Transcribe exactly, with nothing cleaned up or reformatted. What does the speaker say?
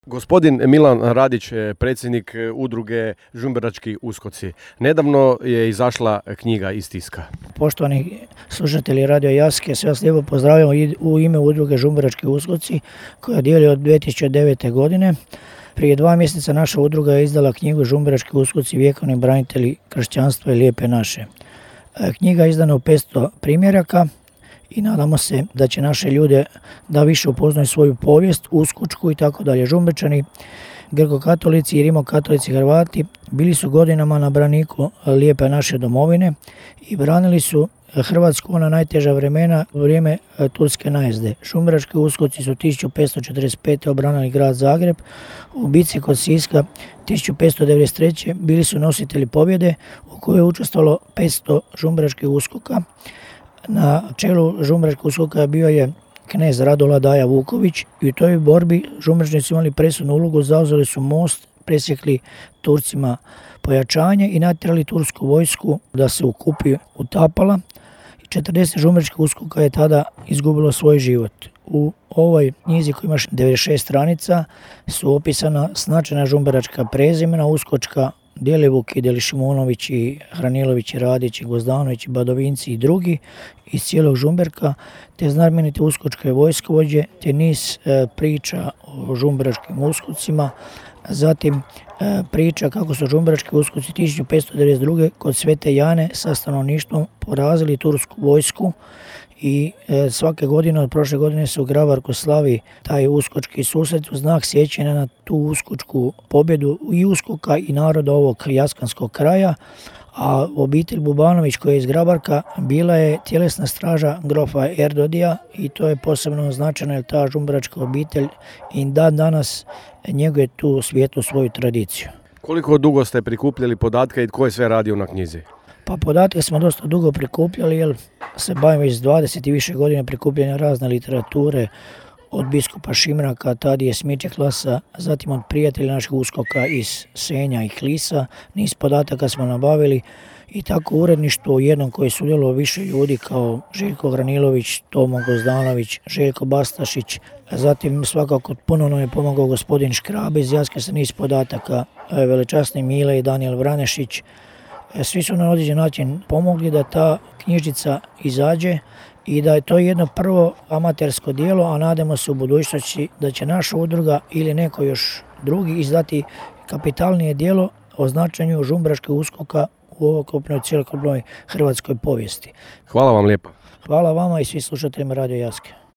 Gospodin Milan Radić, predsjednik udruge Žumberački uskoci. Nedavno je izašla knjiga iz tiska. Poštovani slušatelji Radio Jaske, sve vas lijepo pozdravljamo u ime udruge Žumberački uskoci koja dijeli od dvije tisuće devete. godine. Prije dva mjeseca naša udruga je izdala knjigu Žumberački uskoci, vjekovni branitelji kršćanstva i lijepe naše. Knjiga je izdana u petsto primjeraka i nadamo se da će naše ljude da više upoznaju svoju povijest, uskočku i tako dalje. Žumberčani, grko-katolici i rimokatolici Hrvati bili su godinama na braniku lijepe naše domovine i branili su Hrvatsku ona najteža vremena u vrijeme turske najezde. Žumberački uskoci su tisuću petsto četrdeset pete. obranili grad Zagreb. U bici kod Siska tisuću petsto devedeset treće. bili su nositelji pobjede u kojoj je učestvovalo petsto žumberačkih uskoka. Na čelu žumberačkog uskoka bio je knez Radola Daja Vuković i u toj borbi žumberčani su imali presudnu ulogu, zauzeli su most, presjekli Turcima pojačanje i natjerali tursku vojsku da se u Kupi utapala. četrdeset žumberačkih uskoka je tada izgubilo svoj život. U ovoj knjizi koja ima devedeset šest stranica su opisana značajna žumberačka prezimena, uskočka Djelivuk i Delišimunović i Hranilović i Radić i Gozdanović i Badovinci i drugi iz cijelog Žumberka, te znamenite uskočke vojskovođe, te niz e, priča o žumberačkim uskocima, zatim e, priča kako su žumberački uskoci tisuću petsto devedeset druge. kod Svete Jane sa stanovništvom porazili tursku vojsku i e, svake godine od prošle godine se u Grabarku slavi taj uskočki susret u znak sjećanja na tu uskočku pobjedu i uskoka i naroda ovog jaskanskog kraja. A obitelj Bubanović koja je iz Grabarka bila je tjelesna straža grofa Erdodija i to je posebno značajno jer ta žumberačka obitelj i dan danas njeguje tu svijetlu svoju tradiciju. Koliko dugo ste prikupljali podatke i tko je sve radio na knjizi? Pa podatke smo dosta dugo prikupljali jer se bavimo već dvadeset i više godina prikupljanja razne literature od biskupa Šimraka, Tadije Smičeklasa, zatim od prijatelja naših uskoka iz Senja i Klisa. Niz podataka smo nabavili i tako uredništvo u jednom koje je sudjelovalo više ljudi kao Željko Hranilović, Tomo Gozdanović, Željko Bastašić, zatim svakako puno nam je pomogao gospodin Škrabe iz Jaske sa niz podataka, velečasni Mile i Danijel Vranešić. Svi su na određen način pomogli da ta knjižica izađe i da je to jedno prvo amatersko djelo, a nadamo se u budućnosti da će naša udruga ili neko još drugi izdati kapitalnije djelo o značenju žumberačkih uskoka u ovokupnoj cjelokupnoj hrvatskoj povijesti. Hvala vam lijepa. Hvala vama i svi slušateljima Radio Jaske.